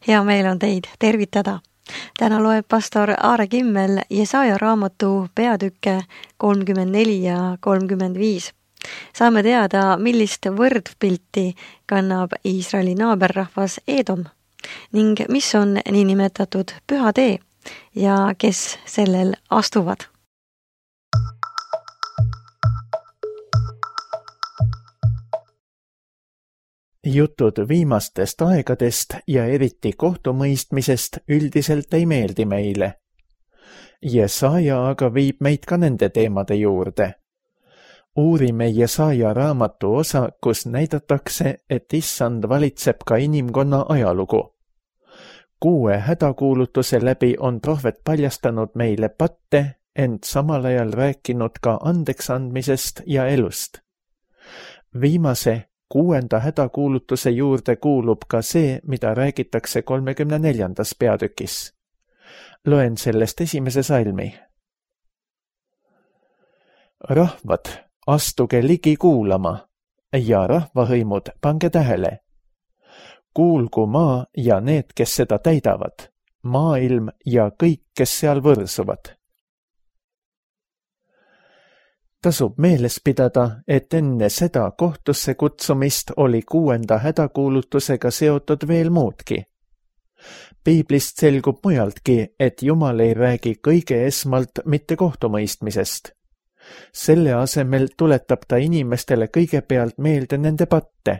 Hea meel on teid tervitada. Täna loeb pastor Aare Kimmel Jesaja raamatu peatükke 34 ja 35. Saame teada, millist võrdpilti kannab Iisraeli naaberrahvas Edom ning mis on niinimetatud püha tee ja kes sellel astuvad. Jutud viimastest aegadest ja eriti kohtumõistmisest üldiselt ei meeldi meile. Jesaja aga viib meid ka nende teemade juurde. Uurime Jesaja raamatu osa, kus näidatakse, et Issand valitseb ka inimkonna ajalugu. 6 hädakuulutuse läbi on prohvet paljastanud meile patte, ent samal ajal rääkinud ka andeksandmisest ja elust. Viimase 6. hädakuulutuse juurde kuulub ka see, mida räägitakse 34. peatükis. Loen sellest esimese salmi. Rahvad, astuge ligi kuulama ja rahvahõimud, pange tähele. Kuulgu maa ja need, kes seda täidavad, maailm ja kõik, kes seal võrsuvad. Tasub meeles pidada, et enne seda kohtusse kutsumist oli 6. hädakuulutusega seotud veel muudki. Piiblist selgub mujaltki, et Jumal ei räägi kõige esmalt mitte kohtumõistmisest. Selle asemel tuletab ta inimestele kõigepealt meelde nende patte.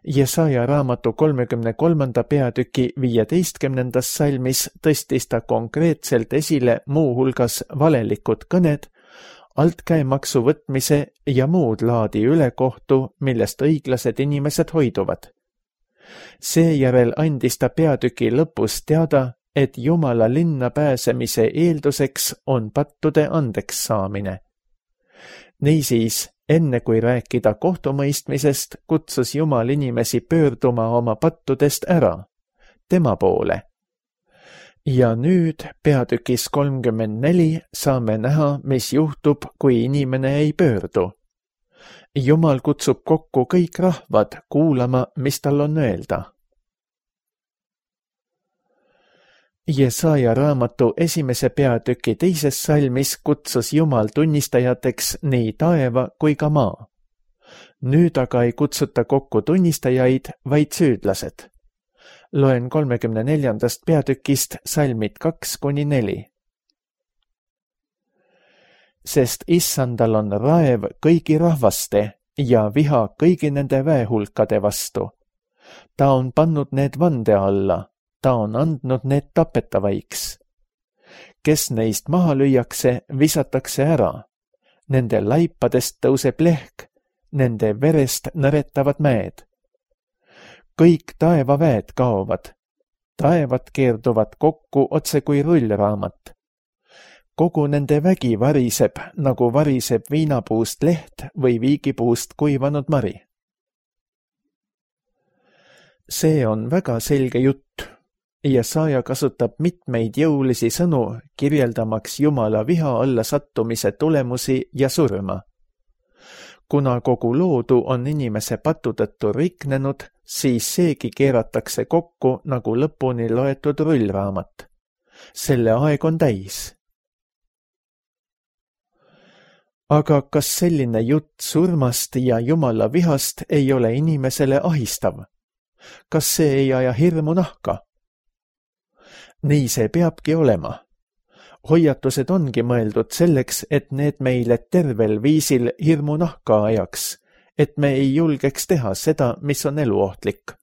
Jesaja raamatu 33. peatüki 15. salmis tõstis ta konkreetselt esile muuhulgas valelikud kõned, altkäemaksu võtmise ja muud laadi ülekohtu, millest õiglased inimesed hoiduvad. Seejärel andis ta peatüki lõpus teada, et Jumala linna pääsemise eelduseks on pattude andeks saamine. Niisiis, enne kui rääkida kohtumõistmisest, kutsus Jumal inimesi pöörduma oma pattudest ära, tema poole. Ja nüüd peatükis 34 saame näha, mis juhtub, kui inimene ei pöördu. Jumal kutsub kokku kõik rahvad kuulama, mis tal on öelda. Jesaja raamatu esimese peatüki 2. salmis kutsus Jumal tunnistajateks nii taeva kui ka maa. Nüüd aga ei kutsuta kokku tunnistajaid, vaid süüdlased. Loen 34. peatükist salmid 2-4. Sest Issandal on raev kõigi rahvaste ja viha kõigi nende väehulkade vastu. Ta on pannud need vande alla, ta on andnud need tapetavaiks. Kes neist maha lüüakse, visatakse ära. Nende laipadest tõuseb lehk, nende verest nõretavad mäed. Kõik taevaväed kaovad. Taevad keerduvad kokku otse kui rullraamat. Kogu nende vägi variseb, nagu variseb viinapuust leht või viigipuust kuivanud mari. See on väga selge jutt. Jesaja kasutab mitmeid jõulisi sõnu, kirjeldamaks Jumala viha alla sattumise tulemusi ja surma. Kuna kogu loodu on inimese patu tõttu riknenud, siis seegi keeratakse kokku nagu lõpuni loetud rullraamat. Selle aeg on täis. Aga kas selline jutt surmast ja Jumala vihast ei ole inimesele ahistav? Kas see ei aja hirmu nahka? Nii see peabki olema. Hoiatused ongi mõeldud selleks, et need meile tervel viisil hirmu nahka ajaks, et me ei julgeks teha seda, mis on eluohtlik.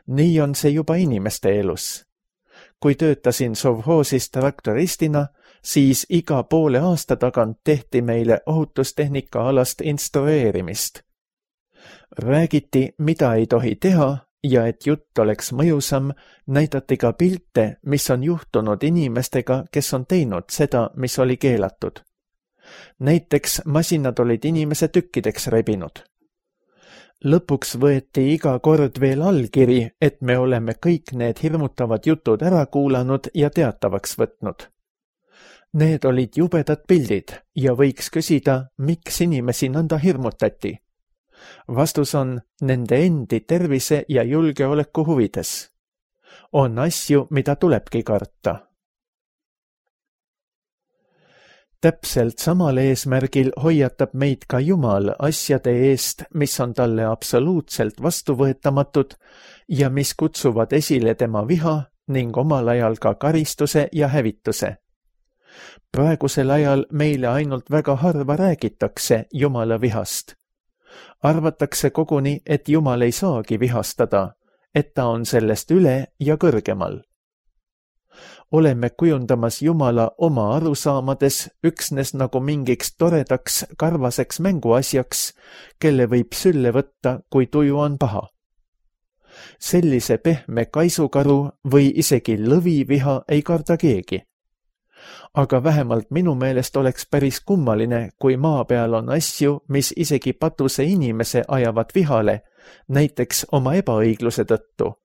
Nii on see juba inimeste elus. Kui töötasin sovhoosis traktoristina, siis iga poole aasta tagant tehti meile ohutustehnika alast instrueerimist. Räägiti, mida ei tohi teha ja et jutt oleks mõjusam, näidati ka pilte, mis on juhtunud inimestega, kes on teinud seda, mis oli keelatud. Näiteks masinad olid inimese tükkideks rebinud. Lõpuks võeti iga kord veel allkiri, et me oleme kõik need hirmutavad jutud ära kuulanud ja teatavaks võtnud. Need olid jubedad pildid ja võiks küsida, miks inimesi nõnda hirmutati. Vastus on nende endi tervise ja julgeoleku huvides. On asju, mida tulebki karta. Täpselt samal eesmärgil hoiatab meid ka Jumal asjade eest, mis on talle absoluutselt vastuvõetamatud ja mis kutsuvad esile tema viha ning omal ajal ka karistuse ja hävituse. Praegusel ajal meile ainult väga harva räägitakse Jumala vihast. Arvatakse koguni, et Jumal ei saagi vihastada, et ta on sellest üle ja kõrgemal. Oleme kujundamas Jumala oma arusaamades üksnes nagu mingiks toredaks karvaseks mänguasjaks, kelle võib sülle võtta, kui tuju on paha. Sellise pehme kaisukaru või isegi lõviviha ei karda keegi. Aga vähemalt minu meelest oleks päris kummaline, kui maa peal on asju, mis isegi patuse inimese ajavad vihale, näiteks oma ebaõigluse tõttu.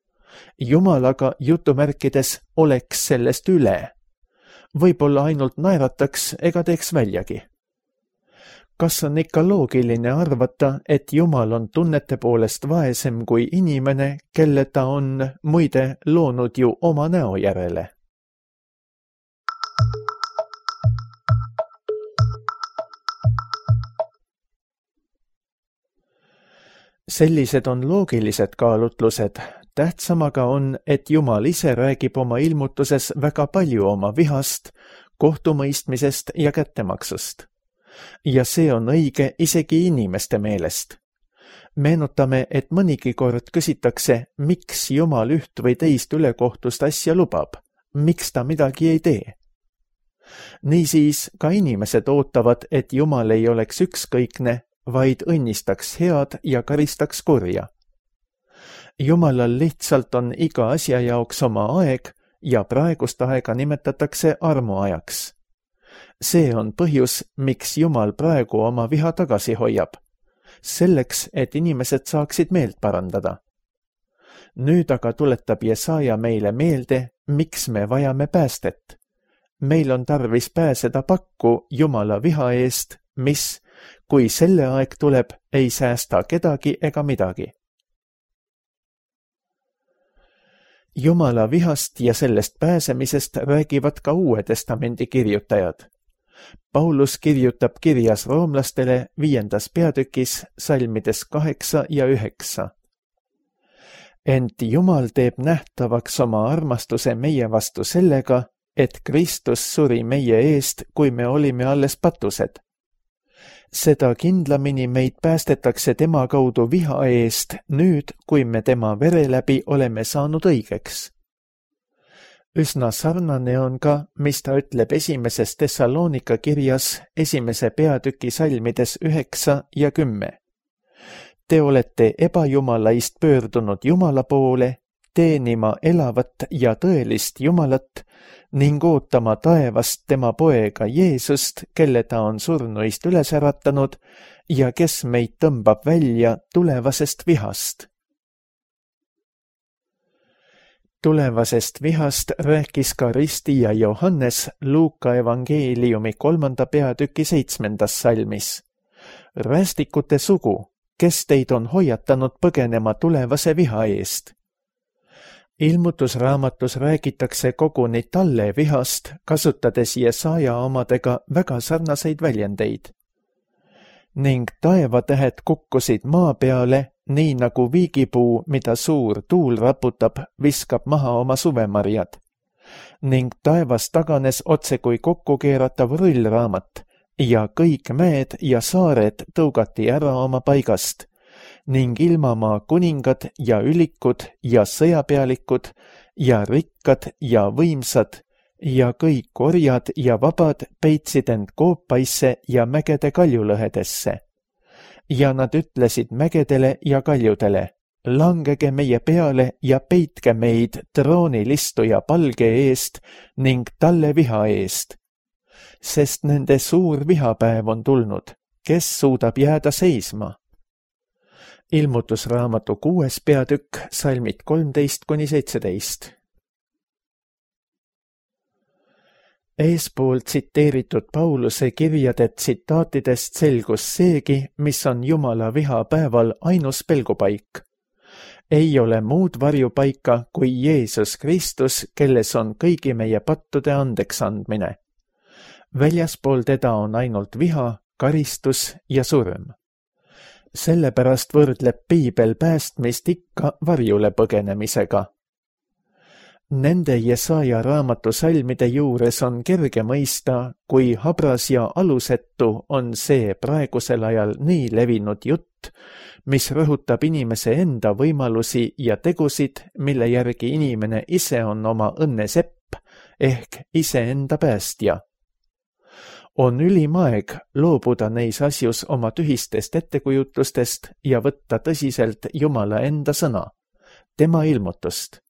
Jumal aga jutumärkides oleks sellest üle. Võib-olla ainult naerataks ega teeks väljagi. Kas on ikka loogiline arvata, et Jumal on tunnete poolest vaesem kui inimene, kelle ta on muide loonud ju oma näo järele? Sellised on loogilised kaalutlused. Tähtsamaga on, et Jumal ise räägib oma ilmutuses väga palju oma vihast, kohtumõistmisest ja kättemaksust. Ja see on õige isegi inimeste meelest. Meenutame, et mõnigi kord küsitakse, miks Jumal üht või teist ülekohtust asja lubab, miks ta midagi ei tee. Niisiis ka inimesed ootavad, et Jumal ei oleks ükskõikne, vaid õnnistaks head ja karistaks kurja. Jumalal lihtsalt on iga asja jaoks oma aeg ja praegust aega nimetatakse armuajaks. See on põhjus, miks Jumal praegu oma viha tagasi hoiab. Selleks, et inimesed saaksid meelt parandada. Nüüd aga tuletab Jesaja meile meelde, miks me vajame päästet. Meil on tarvis pääseda pakku Jumala viha eest, mis, kui selle aeg tuleb, ei säästa kedagi ega midagi. Jumala vihast ja sellest pääsemisest räägivad ka Uue Testamendi kirjutajad. Paulus kirjutab kirjas roomlastele 5. peatükis salmides 8 ja 9. Ent Jumal teeb nähtavaks oma armastuse meie vastu sellega, et Kristus suri meie eest, kui me olime alles patused. Seda kindlamini meid päästetakse tema kaudu viha eest nüüd, kui me tema vere läbi oleme saanud õigeks. Üsna sarnane on ka, mis ta ütleb 1. Thessalonika kirjas 1. peatüki salmides 9 ja 10. Te olete ebajumalaist pöördunud Jumala poole, teenima elavat ja tõelist Jumalat ning ootama taevast tema poega Jeesust, kelle ta on surnuist üles äratanud ja kes meid tõmbab välja tulevasest vihast. Tulevasest vihast rääkis ka ristija Johannes Luuka evangeeliumi 3. peatüki 7. salmis. Rästikute sugu, kes teid on hoiatanud põgenema tulevase viha eest. Ilmutusraamatus räägitakse koguni talle vihast, kasutades Jesaja omadega väga sarnaseid väljendeid. Ning taevatähed kukkusid maa peale, nii nagu viigipuu, mida suur tuul raputab, viskab maha oma suvemarjad. Ning taevas taganes otse kui kokkukeeratav rullraamat ja kõik mäed ja saared tõugati ära oma paigast. Ning ilmamaa kuningad ja ülikud ja sõjapealikud ja rikkad ja võimsad ja kõik orjad ja vabad peitsid end koopaisse ja mägede kaljulõhedesse. Ja nad ütlesid mägedele ja kaljudele, langege meie peale ja peitke meid troonilistuja palge eest ning talle viha eest. Sest nende suur vihapäev on tulnud, kes suudab jääda seisma. Ilmutusraamatu 6. peatükk, salmid 13-17. Eespool tsiteeritud Pauluse kirjade tsitaatidest selgus seegi, mis on Jumala viha päeval ainus pelgupaik. ei ole muud varjupaika kui Jeesus Kristus, kelles on kõigi meie pattude andeks andmine. Väljaspool teda on ainult viha, karistus ja surm. Sellepärast võrdleb Piibel päästmist ikka varjule põgenemisega. Nende Jesaja raamatu salmide juures on kerge mõista, kui habras ja alusetu on see praegusel ajal nii levinud jutt, mis rõhutab inimese enda võimalusi ja tegusid, mille järgi inimene ise on oma õnne sepp ehk iseenda päästja. On ülim aeg loobuda neis asjus oma tühistest ettekujutlustest ja võtta tõsiselt Jumala enda sõna, tema ilmutust.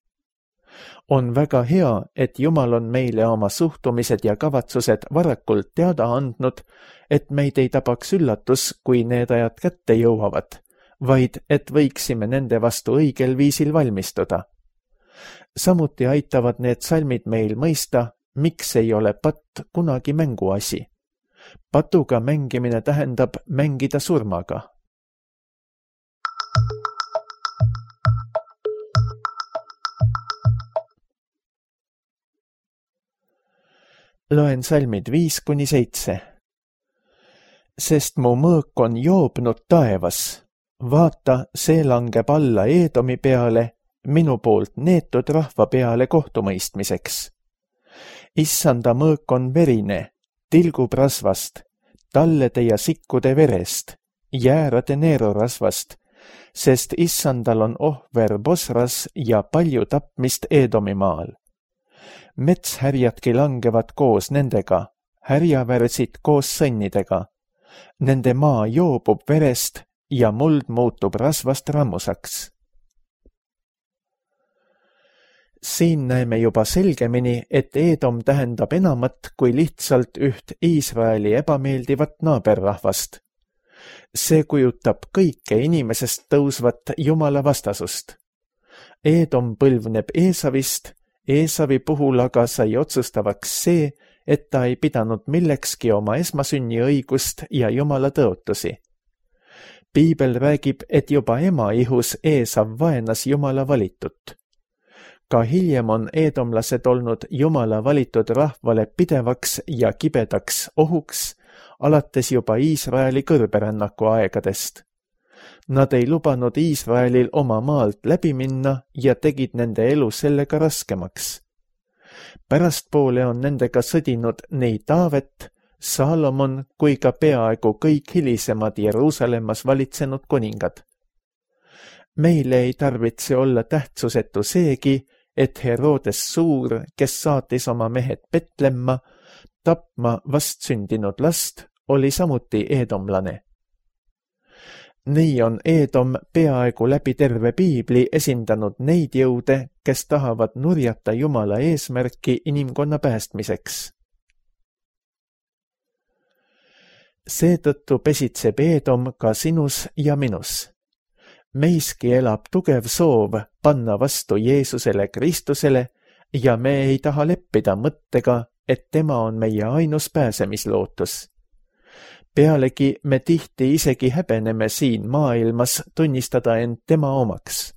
On väga hea, et Jumal on meile oma suhtumised ja kavatsused varakult teada andnud, et meid ei tabaks üllatus, kui need ajad kätte jõuavad, vaid et võiksime nende vastu õigel viisil valmistuda. Samuti aitavad need salmid meil mõista, miks ei ole patt kunagi mänguasi. Patuga mängimine tähendab mängida surmaga. Loen salmid 5-7. Sest mu mõõk on joobnud taevas. Vaata, see langeb alla Eedomi peale, minu poolt neetud rahva peale kohtumõistmiseks. Issanda mõõk on verine, tilgub rasvast, tallede ja sikkude verest, jäärade neerorasvast, sest Issandal on ohver Bosras ja palju tapmist Eedomi maal. Metshärjadki langevad koos nendega, härjavärsid koos sõnnidega. Nende maa joobub verest ja muld muutub rasvast rammusaks. Siin näeme juba selgemini, et Eedom tähendab enamat kui lihtsalt üht Iisraeli ebameeldivat naaberrahvast. See kujutab kõike inimesest tõusvat Jumala vastasust. Eedom põlvneb Eesavist, Eesavi puhul aga sai otsustavaks see, et ta ei pidanud millekski oma esmasünniõigust ja Jumala tõotusi. Piibel räägib, et juba ema ihus Eesav vaenas Jumala valitut. Ka hiljem on eedomlased olnud Jumala valitud rahvale pidevaks ja kibedaks ohuks, alates juba Iisraeli kõrberännaku aegadest. Nad ei lubanud Iisraelil oma maalt läbi minna ja tegid nende elu sellega raskemaks. Pärastpoole on nendega sõdinud nii Taavet, Saalomon kui ka peaaegu kõik hilisemad Jeruusalemmas valitsenud kuningad. Meile ei tarvitse olla tähtsusetu seegi, et Herodes Suur, kes saatis oma mehed Betlemma, tapma vastsündinud last, oli samuti eedomlane. Nii on Eedom peaaegu läbi terve Piibli esindanud neid jõude, kes tahavad nurjata Jumala eesmärki inimkonna päästmiseks. Seetõttu pesitseb Eedom ka sinus ja minus. Meiski elab tugev soov panna vastu Jeesusele Kristusele ja me ei taha leppida mõttega, et tema on meie ainus pääsemislootus. Pealegi me tihti isegi häbeneme siin maailmas tunnistada end tema omaks.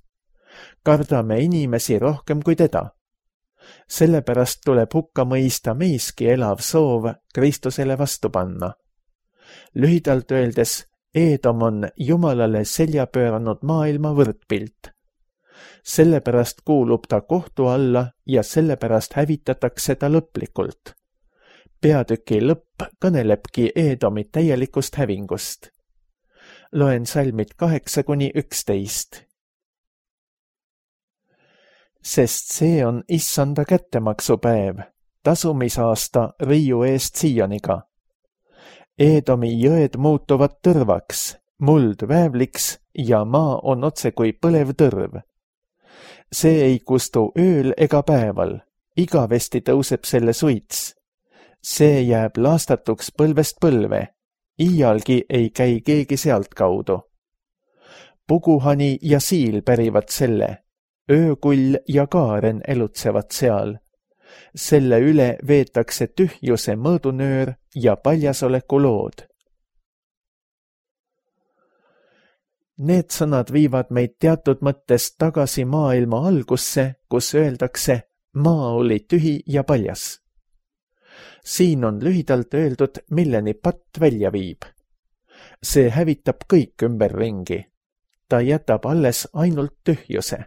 Kardame inimesi rohkem kui teda. Sellepärast tuleb hukka mõista meiski elav soov Kristusele vastu panna. Lühidalt öeldes, Eedom on Jumalale selja pööranud maailma võrdpilt. Sellepärast kuulub ta kohtu alla ja sellepärast hävitatakse ta lõplikult. Peatüki lõpp kõnelebki Eedomi täielikust hävingust. Loen salmid 8-11. Sest see on Issanda kättemaksupäev, tasumisaasta riiu eest Sioniga. Eedomi jõed muutuvad tõrvaks, muld väävliks ja maa on otse kui põlev tõrv. See ei kustu ööl ega päeval, igavesti tõuseb selle suits. See jääb laastatuks põlvest põlve, iialgi ei käi keegi sealtkaudu. Puguhani ja siil pärivad selle, öökull ja kaaren elutsevad seal. Selle üle veetakse tühjuse mõõdunöör ja paljasoleku lood. Need sõnad viivad meid teatud mõttes tagasi maailma algusse, kus öeldakse, maa oli tühi ja paljas. Siin on lühidalt öeldud, milleni patt välja viib. See hävitab kõik ümberringi. Ta jätab alles ainult tühjuse.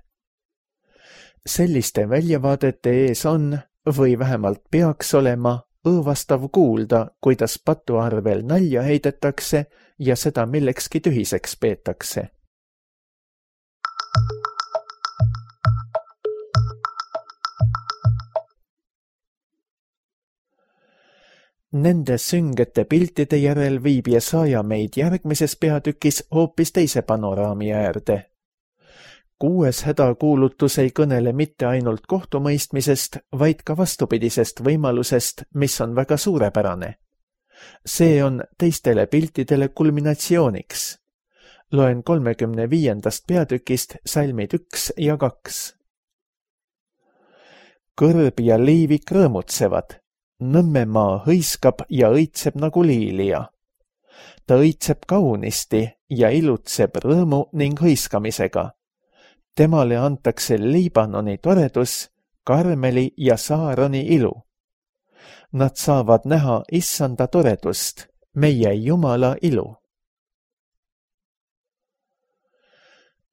Selliste väljavaadete ees on, või vähemalt peaks olema, õõvastav kuulda, kuidas patuarvel nalja heidetakse ja seda millekski tühiseks peetakse. Nende süngete piltide järel viib Jesaja meid järgmises peatükis hoopis teise panoraami äärde. 6. hädakuulutus ei kõnele mitte ainult kohtumõistmisest, vaid ka vastupidisest võimalusest, mis on väga suurepärane. See on teistele piltidele kulminatsiooniks. Loen 35. peatükist salmid 1 ja 2. Kõrb ja liivik rõõmutsevad. Nõmmemaa hõiskab ja õitseb nagu liilia. Ta õitseb kaunisti ja ilutseb rõõmu ning hõiskamisega. Temale antakse Liibanoni toredus, Karmeli ja Saaroni ilu. Nad saavad näha Issanda toredust, meie Jumala ilu.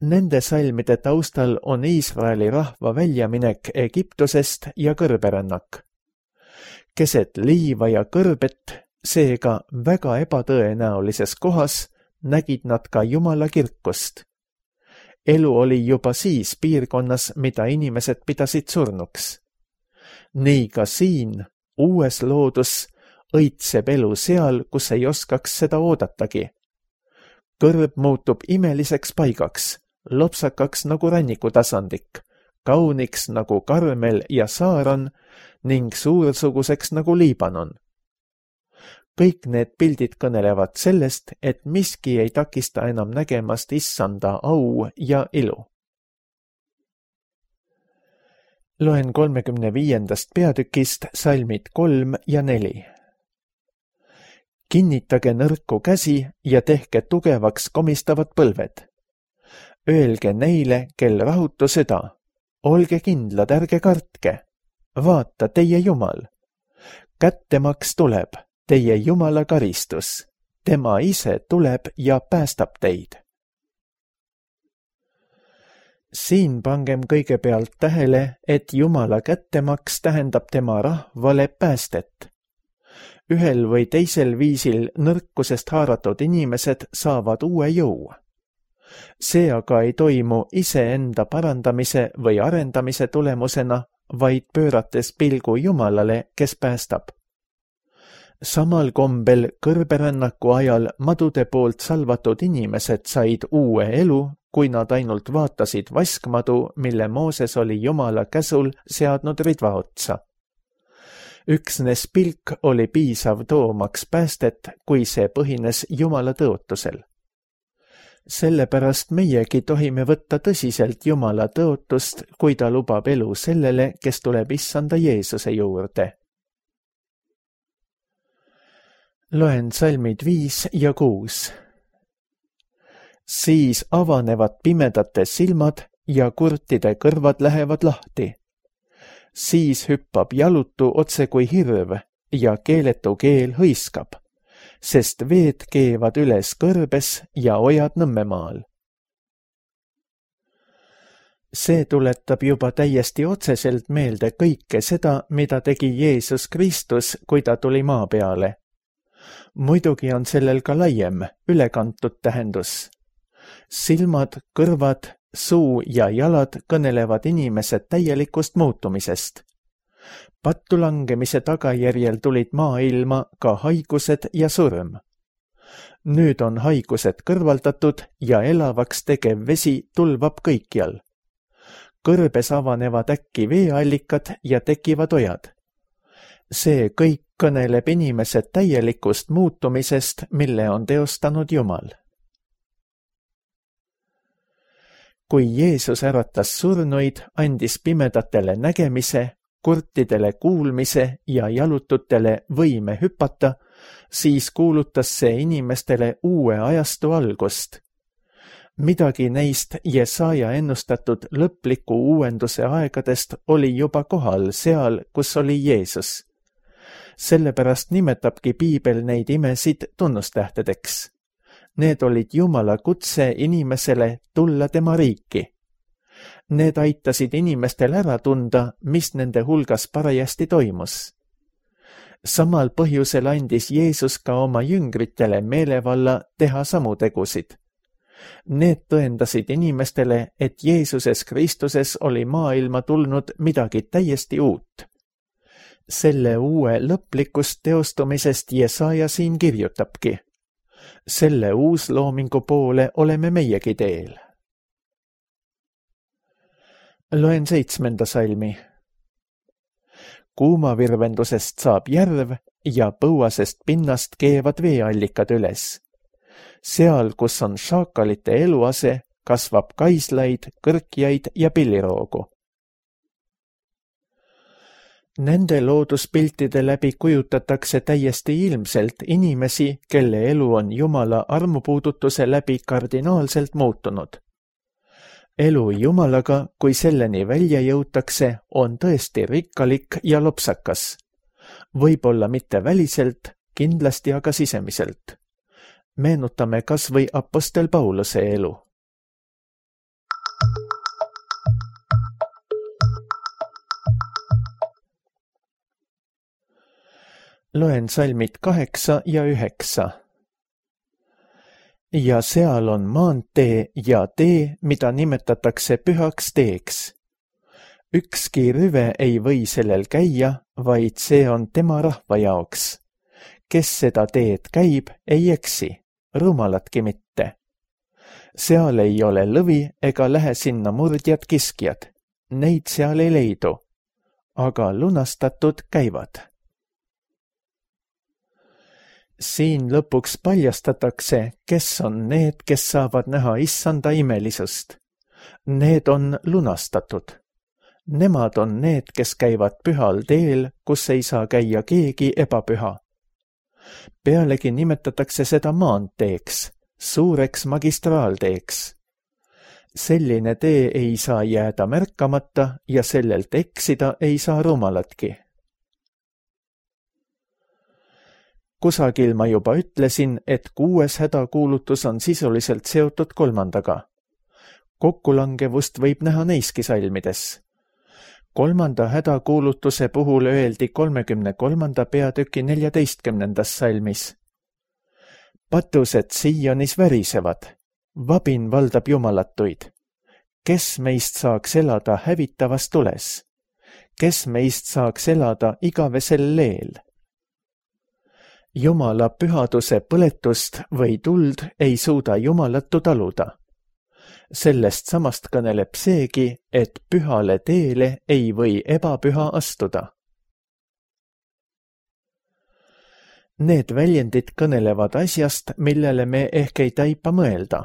Nende salmide taustal on Iisraeli rahva väljaminek Egiptusest ja kõrberännak. Keset liiva ja kõrbet, seega väga ebatõenäolises kohas, nägid nad ka Jumala kirkust. Elu oli juba siis piirkonnas, mida inimesed pidasid surnuks. Nii ka siin, uues loodus, õitseb elu seal, kus ei oskaks seda oodatagi. Kõrb muutub imeliseks paigaks, lopsakaks nagu rannikutasandik, kauniks nagu Karmel ja Saaron ning suursuguseks nagu Liibanon. Kõik need pildid kõnelevad sellest, et miski ei takista enam nägemast Issanda au ja ilu. Loen 35. peatükist salmid 3 ja 4. Kinnitage nõrku käsi ja tehke tugevaks komistavad põlved. Öelge neile, kel rahutu süda. Olge kindlad, ärge kartke. Vaata, teie Jumal. Kättemaks tuleb, teie Jumala karistus. Tema ise tuleb ja päästab teid. Siin pangem kõigepealt tähele, et Jumala kättemaks tähendab tema rahvale päästet. Ühel või teisel viisil nõrkusest haaratud inimesed saavad uue jõu. See aga ei toimu iseenda parandamise või arendamise tulemusena, vaid pöörates pilgu Jumalale, kes päästab. Samal kombel kõrberännaku ajal madude poolt salvatud inimesed said uue elu, kui nad ainult vaatasid vaskmadu, mille Mooses oli Jumala käsul seadnud ridva otsa. Üksnes pilk oli piisav toomaks päästet, kui see põhines Jumala tõotusel. Sellepärast meiegi tohime võtta tõsiselt Jumala tõotust, kui ta lubab elu sellele, kes tuleb Issanda Jeesuse juurde. Loen salmid 5 ja 6. Siis avanevad pimedate silmad ja kurtide kõrvad lähevad lahti. Siis hüppab jalutu otse kui hirv ja keeletu keel hõiskab, sest veed keevad üles kõrbes ja ojad Nõmmemaal. See tuletab juba täiesti otseselt meelde kõike seda, mida tegi Jeesus Kristus, kui ta tuli maa peale. Muidugi on sellel ka laiem, ülekantud tähendus. Silmad, kõrvad, suu ja jalad kõnelevad inimese täielikust muutumisest. Pattu langemise tagajärjel tulid maailma ka haigused ja surm. Nüüd on haigused kõrvaldatud ja elavaks tegev vesi tulvab kõikjal. Kõrbes avanevad äkki veeallikad ja tekivad ojad. See kõik kõneleb inimese täielikust muutumisest, mille on teostanud Jumal. Kui Jeesus äratas surnuid, andis pimedatele nägemise, kurtidele kuulmise ja jalututele võime hüpata, siis kuulutas see inimestele uue ajastu algust. Midagi neist Jesaja ennustatud lõpliku uuenduse aegadest oli juba kohal seal, kus oli Jeesus. Sellepärast nimetabki Piibel neid imesid tunnustähtedeks. Need olid Jumala kutse inimesele tulla tema riiki. Need aitasid inimestel ära tunda, mis nende hulgas parajasti toimus. Samal põhjusel andis Jeesus ka oma jüngritele meelevalla teha samu tegusid. Need tõendasid inimestele, et Jeesuses Kristuses oli maailma tulnud midagi täiesti uut. Selle uue lõplikust teostumisest Jesaja siin kirjutabki. Selle uusloomingu poole oleme meiegi teel. Loen 7. salmi. Kuumavirvendusest saab järv ja põuasest pinnast keevad veeallikad üles. Seal, kus on šaakalite eluase, kasvab kaislaid, kõrkjaid ja pilliroogu. Nende looduspiltide läbi kujutatakse täiesti ilmselt inimesi, kelle elu on Jumala armupuudutuse läbi kardinaalselt muutunud. Elu Jumalaga, kui selleni välja jõutakse, on tõesti rikkalik ja lopsakas. Võib-olla mitte väliselt, kindlasti aga sisemiselt. Meenutame kas või apostel Pauluse elu. Loen salmid 8 ja 9. Ja seal on maantee ja tee, mida nimetatakse pühaks teeks. Ükski rüve ei või sellel käia, vaid see on tema rahva jaoks. Kes seda teed käib, ei eksi, rumalatki mitte. Seal ei ole lõvi ega lähe sinna murdjad kiskjad. Neid seal ei leidu, aga lunastatud käivad. Siin lõpuks paljastatakse, kes on need, kes saavad näha issanda imelisust. Need on lunastatud. Nemad on need, kes käivad pühal teel, kus ei saa käia keegi ebapüha. Pealegi nimetatakse seda maanteeks, suureks magistraalteeks. Selline tee ei saa jääda märkamata ja sellelt eksida ei saa rumalatki. Kusagil ma juba ütlesin, et 6. hädakuulutus on sisuliselt seotud 3. Kokkulangevust võib näha neiski salmides. 3. hädakuulutuse puhul öeldi 33. peatüki 14. salmis. Patused Sionis värisevad, vabin valdab jumalatuid. Kes meist saaks elada hävitavas tules? Kes meist saaks elada igavesel leel? Jumala pühaduse põletust või tuld ei suuda jumalatu taluda. Sellest samast kõneleb seegi, et pühale teele ei või ebapüha astuda. Need väljendid kõnelevad asjast, millele me ehk ei taipa mõelda.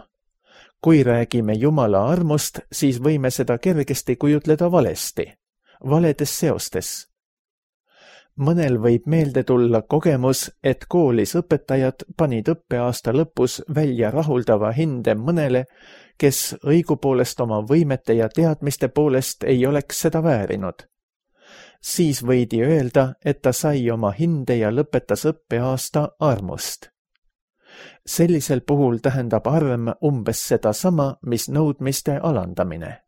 Kui räägime Jumala armust, siis võime seda kergesti kujutleda valesti, valedes seostes. Mõnel võib meelde tulla kogemus, et koolis õpetajad panid õppeaasta lõpus välja rahuldava hinde mõnele, kes õigupoolest oma võimete ja teadmiste poolest ei oleks seda väärinud. Siis võidi öelda, et ta sai oma hinde ja lõpetas õppeaasta armust. Sellisel puhul tähendab arm umbes sedasama, mis nõudmiste alandamine.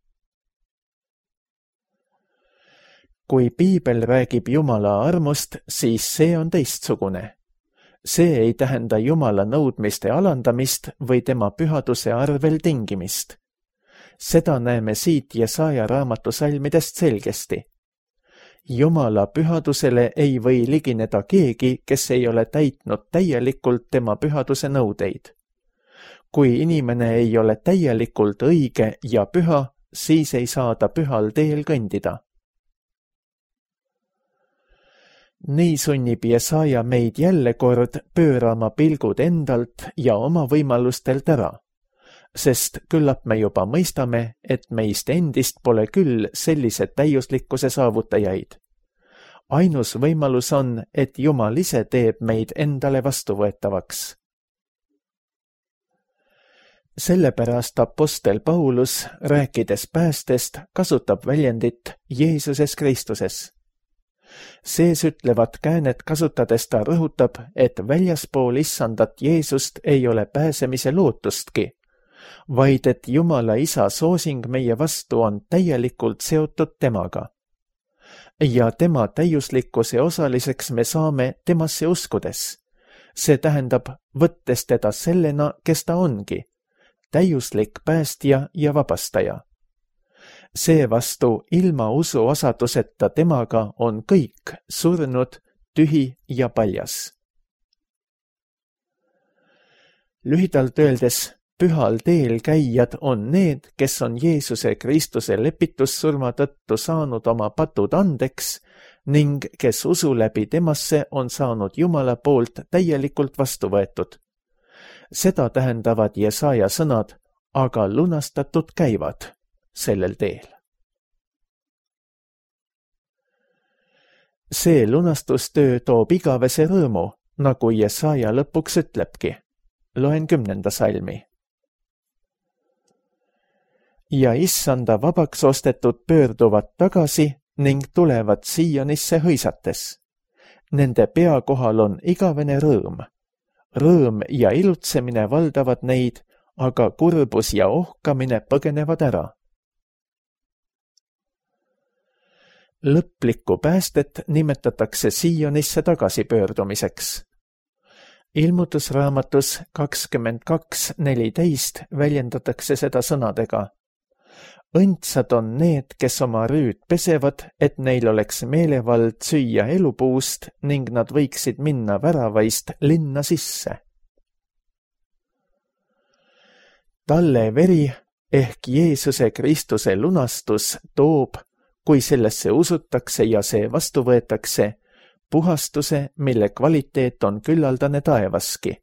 Kui Piibel räägib Jumala armust, siis see on teistsugune. See ei tähenda Jumala nõudmiste alandamist või tema pühaduse arvel tingimist. Seda näeme siit Jesaja raamatu salmidest selgesti. Jumala pühadusele ei või ligineda keegi, kes ei ole täitnud täielikult tema pühaduse nõudeid. Kui inimene ei ole täielikult õige ja püha, siis ei saa ta pühal teel kõndida. Nii sunnib Jesaja meid jälle kord pöörama pilgud endalt ja oma võimalustelt ära, sest küllap me juba mõistame, et meist endist pole küll sellise täiuslikkuse saavutajaid. Ainus võimalus on, et Jumal ise teeb meid endale vastuvõetavaks. Sellepärast apostel Paulus, rääkides päästest, kasutab väljendit Jeesuses Kristuses. Sees ütlevat käänet kasutades ta rõhutab, et väljaspool issandat Jeesust ei ole pääsemise lootustki, vaid et Jumala Isa soosing meie vastu on täielikult seotud temaga. Ja tema täiuslikkuse osaliseks me saame temasse uskudes. See tähendab, võttes teda sellena, kes ta ongi, täiuslik päästja ja vabastaja. Seevastu ilma usuosaduseta temaga on kõik surnud, tühi ja paljas. Lühidalt öeldes, pühal teel käijad on need, kes on Jeesuse Kristuse lepitussurma tõttu saanud oma patud andeks ning kes usu läbi temasse on saanud Jumala poolt täielikult vastu võetud. Seda tähendavad Jesaja sõnad, aga lunastatud käivad sellel teel. See lunastustöö toob igavese rõõmu, nagu Jesaja lõpuks ütlebki. Loen 10. salmi. Ja issanda vabaks ostetud pöörduvad tagasi ning tulevad Siionisse hõisates. Nende pea kohal on igavene rõõm. Rõõm ja ilutsemine valdavad neid, aga kurbus ja ohkamine põgenevad ära. Lõplikku päästet nimetatakse Siionisse tagasipöördumiseks. Ilmutusraamatus 22:14 väljendatakse seda sõnadega. Õndsad on need, kes oma rüüd pesevad, et neil oleks meelevald süüa elupuust ning nad võiksid minna väravaist linna sisse. Talle veri ehk Jeesuse Kristuse lunastus toob, kui sellesse usutakse ja see vastu võetakse, puhastuse, mille kvaliteet on küllaldane taevaski.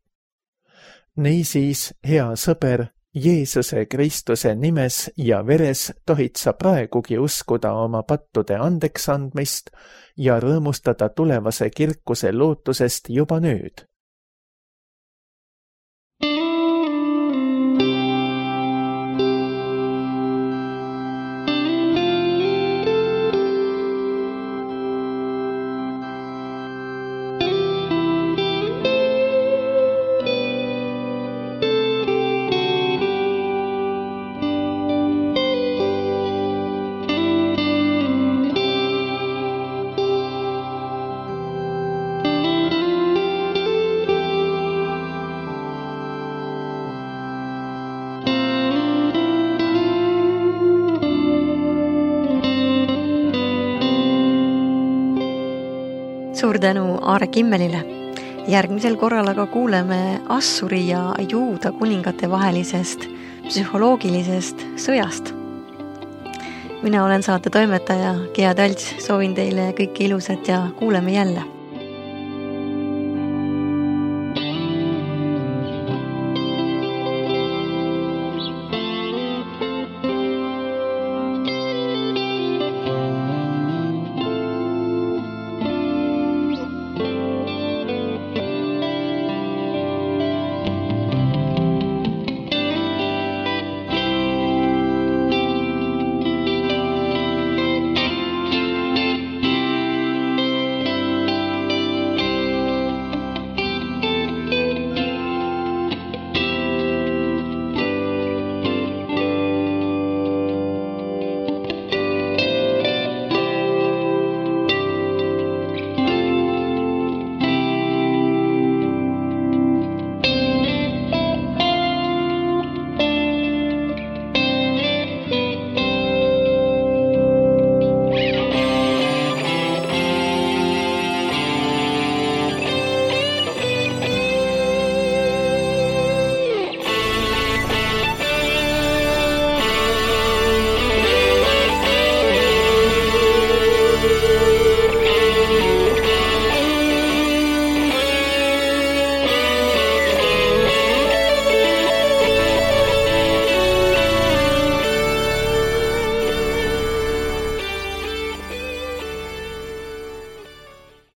Niisiis, hea sõber, Jeesuse Kristuse nimes ja veres tohid sa praegugi uskuda oma pattude andeksandmist ja rõõmustada tulevase kirkuse lootusest juba nüüd. Suur tänu Aare Kimmelile. Järgmisel korral aga kuuleme Assuri ja Juuda kuningate vahelisest psühholoogilisest sõjast. Mina olen saate toimetaja Gea Talts, soovin teile kõike ilusat ja kuuleme jälle.